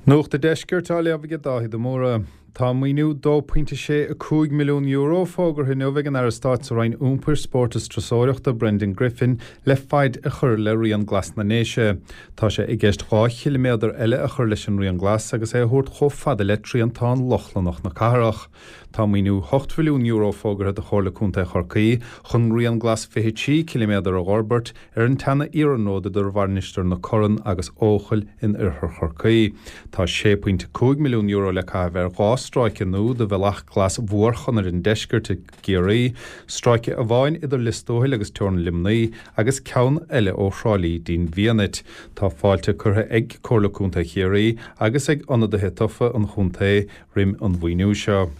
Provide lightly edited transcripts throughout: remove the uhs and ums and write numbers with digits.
Nuacht an Deiscirt á léamh aige Dáithí de Mórdha. Tá maoiniú €2.65 milliún fógartha inniu ag an Aire Stáit sa Roinn Iompair, Spóirt is Turasóireachta, Brendan Griffin, le faid a chur le Rian Glas na nDéise. Tá sé i gceist 2 chiliméadar eile a chur leis an Rian Glas agus é a thabhairt chomh fada le Triantán Lochlannach na cathrach. Tá maoiniú €8 mhilliún fógartha do Chomhairle Contae Chorcaí chun Rian Glas 23 ciliméadar a dh'fhorbairt ar an tseana-iarnród idir Mhainistir na Corann agus Eochaill in oirthear Chorcaí. Tá €6.5 milliún le caitheamh ar 2 stráice nua de Bhealach Glas Mhórchonair an Deiscirt i gCiarraí, stráice amháin idir Lios Tuathail agus teorainn Luimnigh agus ceann eile ó Thrá Lí dtí'n bhFianait. Tá fáilte curtha ag Comhairle Contae Chiarraí agus ag ionadaithe tofa an chontae roim an mhaoiniú seo.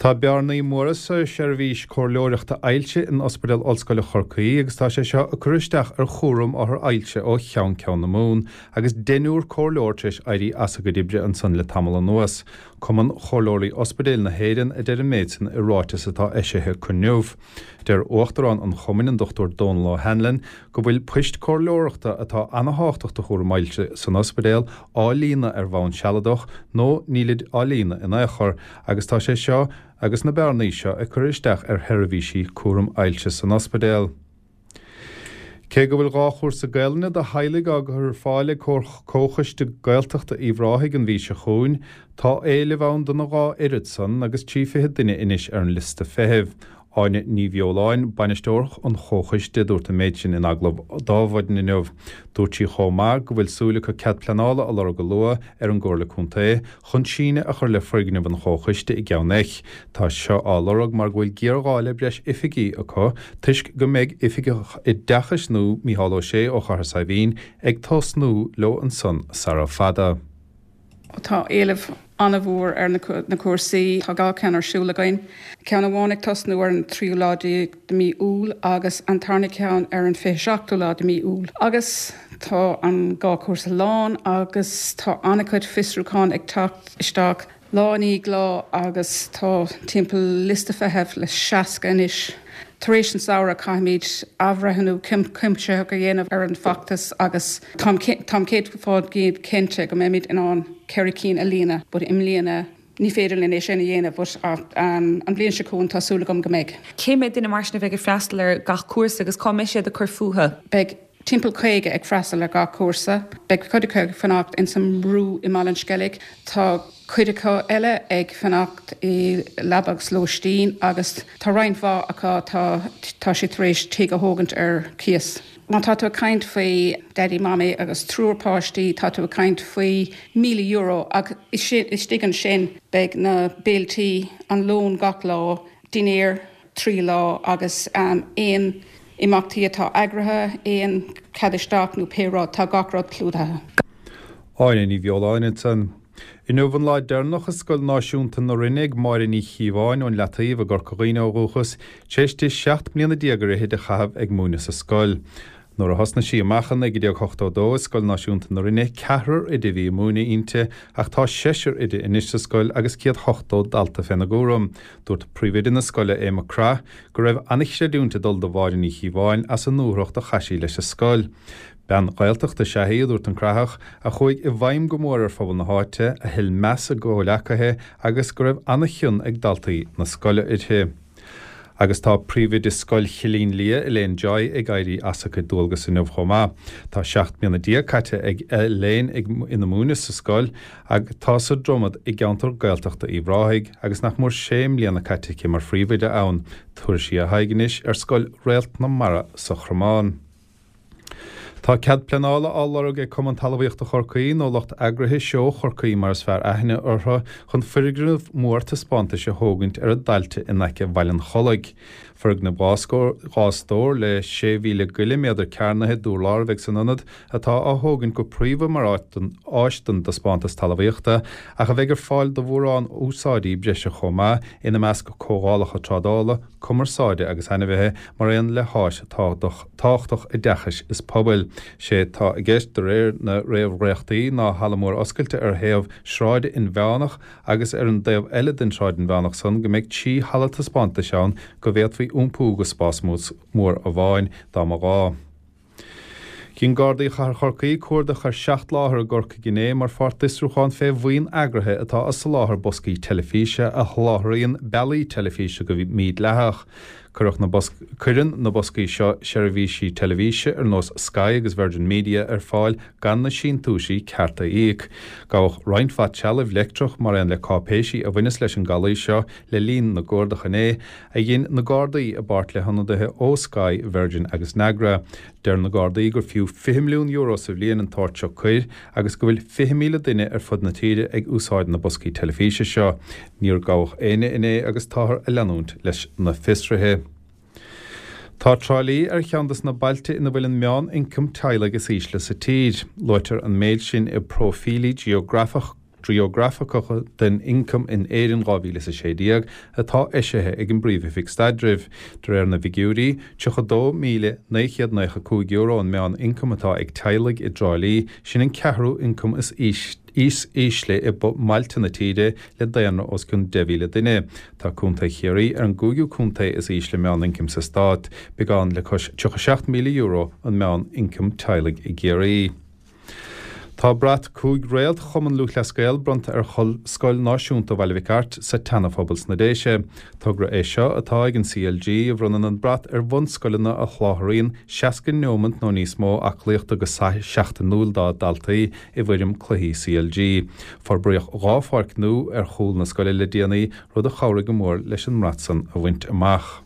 Tá bearnaí móra sa seirbhís comhairleoireachta ailse in Ospidéal Ollscoile Chorcaí agus tá sé seo ag cur isteach ar chúram othar ailse ó cheann ceann na Mumhan agus deichniúr comhairleoir tar éis éirí as a gcuid oibre ansan le tamall anuas. Cumann Chomhairleoirí Ospidéil na hÉireann a deir an méid san i ráiteas atá eisithe acu inniu. Deir Uachtarán an Chumainn, an Dr Dónal O'Hanlon, go bhfuil poist comhairleoireachta atá ana-thábhachtach do chúram ailse san ospidéal á líonadh ar bhonn sealadach nó nílid á líonadh in aon chor agus tá sé seo agus na bearnaí seo ag cur isteach ar sheirbhísí cúram ailse san ospidéal. Cé go bhfuil 2 chúrsa Gaelainne do theaghlaigh á gcur ar fáil ag Comhchoiste Gaeltachta Uíbh Ráthaigh an mhí seo chugainn, tá éileamh ann dona 2 oiread san agus 30 duine anois ar an liosta feithimh. Áine Ní Bheoláin, bainisteoir an Chomhchoiste, a dúirt an méid sin in agallamh d'Adhmhaidin inniu. Dúirt sí chomh maith go bhfuil súil acu cead pleanála a lorg go luath ar an gComhairle Contae chun síneadh a chur le foirgneamh an Chomhchoiste i gCeann Eich. Tá seo á lorg mar go bhfuil géarghá le breis oifigí acu toisc go mbeidh Oifigeach Oideachais nua, Mícheál Ó Sé ó Chathair Saidhbhín, ag tosnú leo ansan sara fada. Tá éileamh an-mhór ar na cúrsaí. Tá 2 ceann ar siúl againn. Ceann amháin ag tosnú ar an tríú lá déag de mí Iúil agus an tarna ceann ar an 27ú lá de mí Iúil. Agus tá an 2 cúrsa lán agus tá an-chuid fiosrúchán ag teacht isteach lá i ndiaidh lá agus tá timpeall liosta feithimh le 60 anois. Tar éis an samhradh caithfimid athbhreithniú cuimsitheach a dhéanamh ar an bhfeachtas agus táim 100% cinnte go mbeimid in ann 4 cinn a líonadh but i mbliana ní féidir linn é sin a dhéanamh but an bhliain seo chugainn tá súil agam go mbeidh. Cé mhéad duine mar sin a bheidh ag freastal ar gach cúrsa agus cá mbeidh siad ag cur fúthu? Beidh timpeall 50 ag freastal ar gach cúrsa. Beidh cuid acu ag fanacht ins an mBrú i mBaile an Sceilg. Tá cuid acu eile ag fanacht i leaba agus lóistín agus tá roinnt mhaith acu tá tá siad tar éis tigh a thógaint ar cíos. Má tá tú ag caint faoi Daddy Mamaí agus triúr páistí tá tú ag caint faoi €1,000 ach istigh ansin beidh na béiltí, an lón gach lá, dinnéar, 3 lá agus aon imeachtaí atá eagraithe, aon chead isteach nó pé rud, tá gach rud clúdaithe. Áine Ní Bheoláin ansan. Inniu an lá deireanach i Scoil Náisiúnta na Rinne ag Máire Ní Chíobháin ón Leataobh i gCorca Dhuibhne ó dhúchas, tar éis di 17 mbliana ar fhichid a chaitheamh ag múineadh sa scoil. Nuair a thosnaigh sí amach i 1982 i Scoil Náisiúnta na Rinne, ceathrar oide a bhí ag múineadh inti ach tá seisear oide anois sa scoil agus 180 dalta féna gcúram. Dúirt príomhoide na scoile, Aodh Mac Craith, go raibh an-chreidiúint ag dul do Mháire Ní Chíobháin as an ndúthracht a chaith sí leis an scoil. Bean Ghaeltachta is ea í, a dúirt an Craitheach, a chuaigh i bhfeidhm go mór ar phobal na háite, a thuill meas a gcomhleacaithe agus go raibh an-chion ag daltaí na scoile uirthi. Agus tá príomhoide Scoil Chillín Liath, Elaine Joy, ag éirí as a cuid dualgas inniu chomh maith. Tá 17 mbliana caite ag Elaine ag ina múineadh sa scoil, atá sa Dromad i gceantar Gaeltachta Uíbh Ráthaigh, agus nach mór sé mbliana caite aici mar phríomhoide ann. Tabharfaidh sí a haghaidh anois ar Scoil Réalt na Mara sa Chromán. Tá cead pleanála á lorg ag Cumann Talmhaíochta Chorcaí, nó lucht eagraithe Seó Chorcaí mar is fearr aithne orthu, chun foirgneamh mór taispeántais a thógaint ar a dtailte in aice Bhaile an Chollaigh. Foirgneamh 2 stór le 6,000 goile méadar cearnaithe d'urlár a bheidh san ionad, atá á thógaint go príomha mar áis don dtaispeántas talmhaíochta, ach a bheidh ar fáil do mhórán úsáidí breise chomh maith, ina measc comhdhálacha trádála, cumarsáide agus ainmhithe, mar aon le háis tábhachtach oideachais is pobail. Sé atá i gceist, de réir na réamhdhréachtaí, ná halla mór oscailte ar thaobh sráide inmheánach agus ar an dtaobh eile den tsráid inmheánach san go mbeidh 3 halla taispeántais ann go bhféadfaí iompú go spás mór amháin dá mba ghá. Dhein Gardaí Chathair Chorcaí cuardach ar sheacht láthair i gCorcaigh inné mar pháirt d'fhiosrúchán fé bhuíon eagraithe atá ag soláthar boscaí teilifíse a sholáthraíonn bealaí teilifíse go mídhleathach. Cuireadh na Cuireann na boscaí seo seirbhísí teilifíse ar nós Sky agus Virgin Media ar fáil gan na síntiúisí cearta a íoc. Gabhadh roinnt mhaith trealaimh leictreach mar aon le cáipéisí a bhaineas leis an gcalaois seo le linn na gcuardach inné, a dhein na Gardaí i bpáirt le hionadaithe ó Sky, Virgin agus Nagra. Deir na Gardaí gur fiú €20 milliún sa bhliain an t-sórt seo coir agus go bhfuil 20,000 duine ar fud na tíre ag úsáid na boscaí teilifíse seo. Níor gabhadh éinne inné agus táthar ag leanúint leis na fiosruithe. Tá Trá Lí ar cheann des na bailte ina bhfuil an meán-ioncam teaghlaigh is ísle sa tír. Luaitear an méid sin i bPróifílí Geografach Geografacha den Ioncam in Éirinn 2016 atá eisithe ag an bPríomh-Oifig Staidrimh. De réir na bhfigiúirí, €32,995 an meán-ioncam atá ag teaghlaigh i dTrá Lí, sin an ceathrú ioncam is ísle i mbailte na tíre le daonra os cionn 10,000 duine. Tá Contae Chiarraí ar an gcúigiú contae is ísle meán-ioncaim sa stát, beagán le cois €37,000 an meán-ioncam teaghlaigh i gCiarraí. Tá brat cúig réalt Chumann Lúthchleas Gael bronnta ar Scoil Náisiúnta Bhaile Mhic Airt sa tSeana-Phobal sna Déise. Togra é seo atá ag an CLG a bhronnann an brat ar bhunscoileanna a sholáthraíonn 60 neomant nó níos mó aclaíochta go seachtainiúil dá ndaltaí i bhfoirm cluichí CLG. Forbraíodh 2 pháirc nua ar chúl na scoile le déanaí, rud a chabhraigh go mór leis an mbrat san a bhaint amach.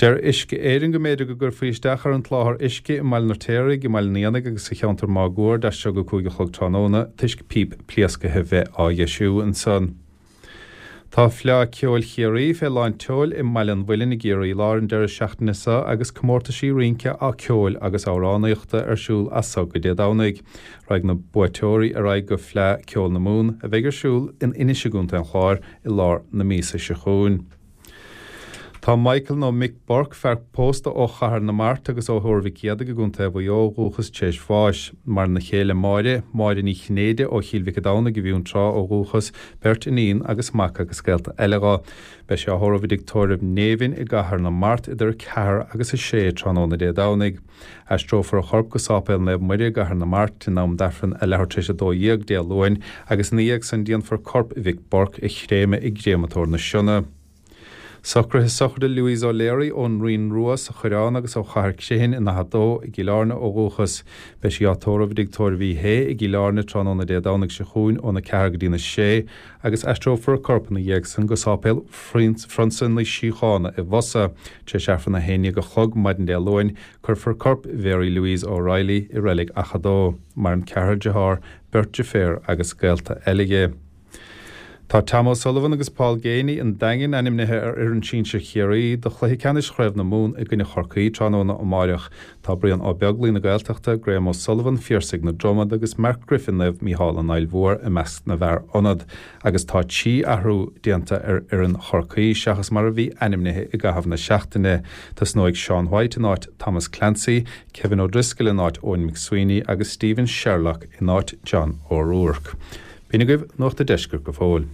Deir Uisce Éireann go mb'fhéidir go gcuirfí isteach ar an tsoláthar uisce i mBaile an Fheirtéaraigh, i mBaile an Éanaigh agus sa cheantar máguaird as seo go 5 a chlog tráthnóna toisc píp pléascaithe bheith á dheisiú ansan. Tá Fleá Ceoil Chiarraí fé lán tseoil i mBaile an Mhuilinn i gCiarraí Láir an deireadh seachtaine seo agus comórtaisí rince, ceoil agus amhránaíochta ar siúl as so go Dé Domhnaigh. Raghaidh na buaiteoirí ar aghaidh go Fleá Ceoil na Mumhan a bheidh ar siúl in Inis i gContae an Chláir i lár na míosa seo chugainn. Tá Michael nó Mick Burke, fear pósta ó Chathair na Mart agus ó Thuar Mhic Éadaigh i gContae Mhaigh Eo ó dhúchas tar éis bháis. Maireann a chéile Máire, Máire Ní Chinnéide ó Chill Mhic a' Domhnaigh i bhFionntrá ó dhúchas, beirt iníon agus mac agus gaolta eile dho. Beidh sé á thórramh i dTigh Tórraimh Néibhinn i gCathair na Mart idir 4 agus 6 tráthnóna Dé Domhnaigh. Aistreofar a chorp go Sáipéal Naomh Muire i gCathair na Mart in am d'Aifreann a leathuair tar éis 12 Dé Luain agus ina dhiaidh san déanfar corp Mhick Burke a chréamadh i gCréamatóir na Sionna. Socruithe sochraide Louise O'Leary ón Rinn Rua sa Choireán agus ó Chathair Crithin in Achadh Dó i gCill Airne ó dhúchas. Beidh sí á tórramh i dTigh Tórraimh Uí Shé i gCill Airne tráthnóna Dé Domhnaigh seo chugainn óna 4 go dtína 6 agus aistreofar a corp ina dhiaidh san go Sáipéal Phrionsa na Síochána i bhFosa. Tar éis Aifreann 11 a chlog maidin Dé Luain, cuirfear corp Mhary Louise O'Reilly i reilig Achadh Dó. Maireann ceathrar dearthár, beirt deirféar agus gaolta eile dhi. Tá Tom O'Sullivan agus Paul Geaney an Daingin ainmnithe ar fhoireann sinsir Chiarraí do chluiche ceannais Chraobh na Mumhan i gcoinne Chorcaí tráthnóna amáireach. Tá Brian Ó Beaglaoi na Gaeltachta, Graham O'Sullivan, Phiarsaigh na Dromad agus Mark Griffin Naomh Mícheál an Fhaill Mhór i measc na bhfear ionad agus tá 3 athrú déanta ar fhoireann Chorcaí seachas mar a bhí ainmnithe i gcaitheamh na seachtaine. Tosnóidh Sean White in áit Thomas Clancy, Kevin O'Driscoll in áit Eoin McSweeney agus Stephen Sherlock in áit John O'Rourke. B'in agaibh Nuacht a' Deiscirt go fóill.